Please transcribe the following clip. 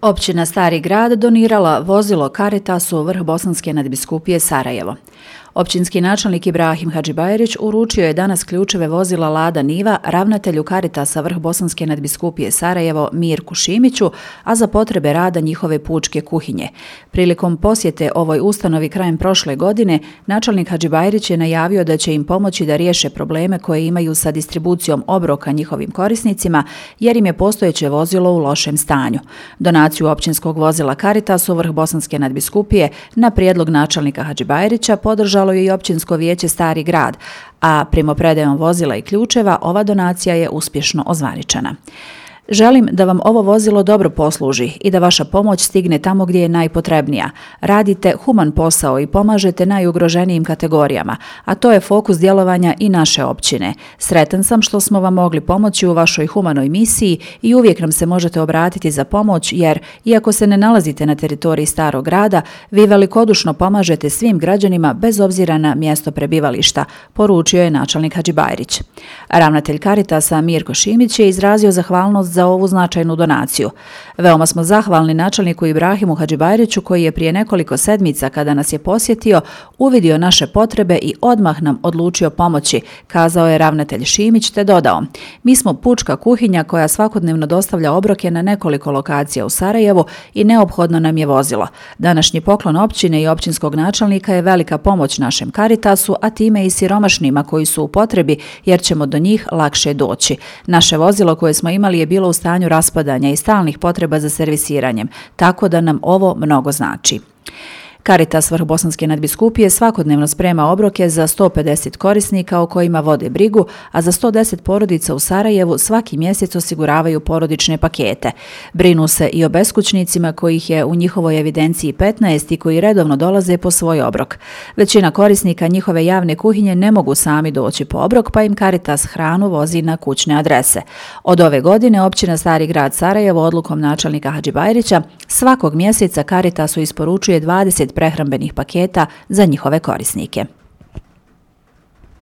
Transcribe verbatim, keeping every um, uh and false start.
Općina Stari Grad donirala vozilo Caritasu Vrh Bosanske nadbiskupije Sarajevo. Općinski načelnik Ibrahim Hadžibajrić uručio je danas ključeve vozila Lada Niva ravnatelju Caritasa Vrh Bosanske nadbiskupije Sarajevo Mirku Šimiću, a za potrebe rada njihove pučke kuhinje. Prilikom posjete ovoj ustanovi krajem prošle godine, načelnik Hadžibajrić je najavio da će im pomoći da riješe probleme koje imaju sa distribucijom obroka njihovim korisnicima, jer im je postojeće vozilo u lošem stanju. Donaciju općinskog vozila Caritasu Vrh Bosanske nadbiskupije na prijedlog načelnika Hadžibajrića podržalo je i općinsko vijeće Stari Grad, a primopredajom vozila i ključeva ova donacija je uspješno ozvaničena. Želim da vam ovo vozilo dobro posluži i da vaša pomoć stigne tamo gdje je najpotrebnija. Radite human posao i pomažete najugroženijim kategorijama, a to je fokus djelovanja i naše općine. Sretan sam što smo vam mogli pomoći u vašoj humanoj misiji i uvijek nam se možete obratiti za pomoć jer, iako se ne nalazite na teritoriji Starog Grada, vi velikodušno pomažete svim građanima bez obzira na mjesto prebivališta, poručio je načelnik Hadžibajrić. Ravnatelj Caritasa Mirko Šimić je izrazio zahvalnost za ovu značajnu donaciju. Veoma smo zahvalni načelniku Ibrahimu Hadžibajriću koji je prije nekoliko sedmica kada nas je posjetio uvidio naše potrebe i odmah nam odlučio pomoći, kazao je ravnatelj Šimić te dodao: Mi smo pučka kuhinja koja svakodnevno dostavlja obroke na nekoliko lokacija u Sarajevu i neophodno nam je vozilo. Današnji poklon općine i općinskog načelnika je velika pomoć našem Caritasu, a time i siromašnima koji su u potrebi jer ćemo do njih lakše doći. Naše vozilo koje smo imali je bilo u stanju raspadanja i stalnih potreba za servisiranjem, tako da nam ovo mnogo znači. Caritas Vrh Bosanske nadbiskupije svakodnevno sprema obroke za sto pedeset korisnika o kojima vode brigu, a za sto deset porodica u Sarajevu svaki mjesec osiguravaju porodične pakete. Brinu se i o beskućnicima kojih je u njihovoj evidenciji petnaest i koji redovno dolaze po svoj obrok. Većina korisnika njihove javne kuhinje ne mogu sami doći po obrok, pa im Caritas hranu vozi na kućne adrese. Od ove godine općina Stari Grad Sarajevo odlukom načelnika Hadžibajrića svakog mjeseca Caritasu isporučuje dvadeset prehrambenih paketa za njihove korisnike.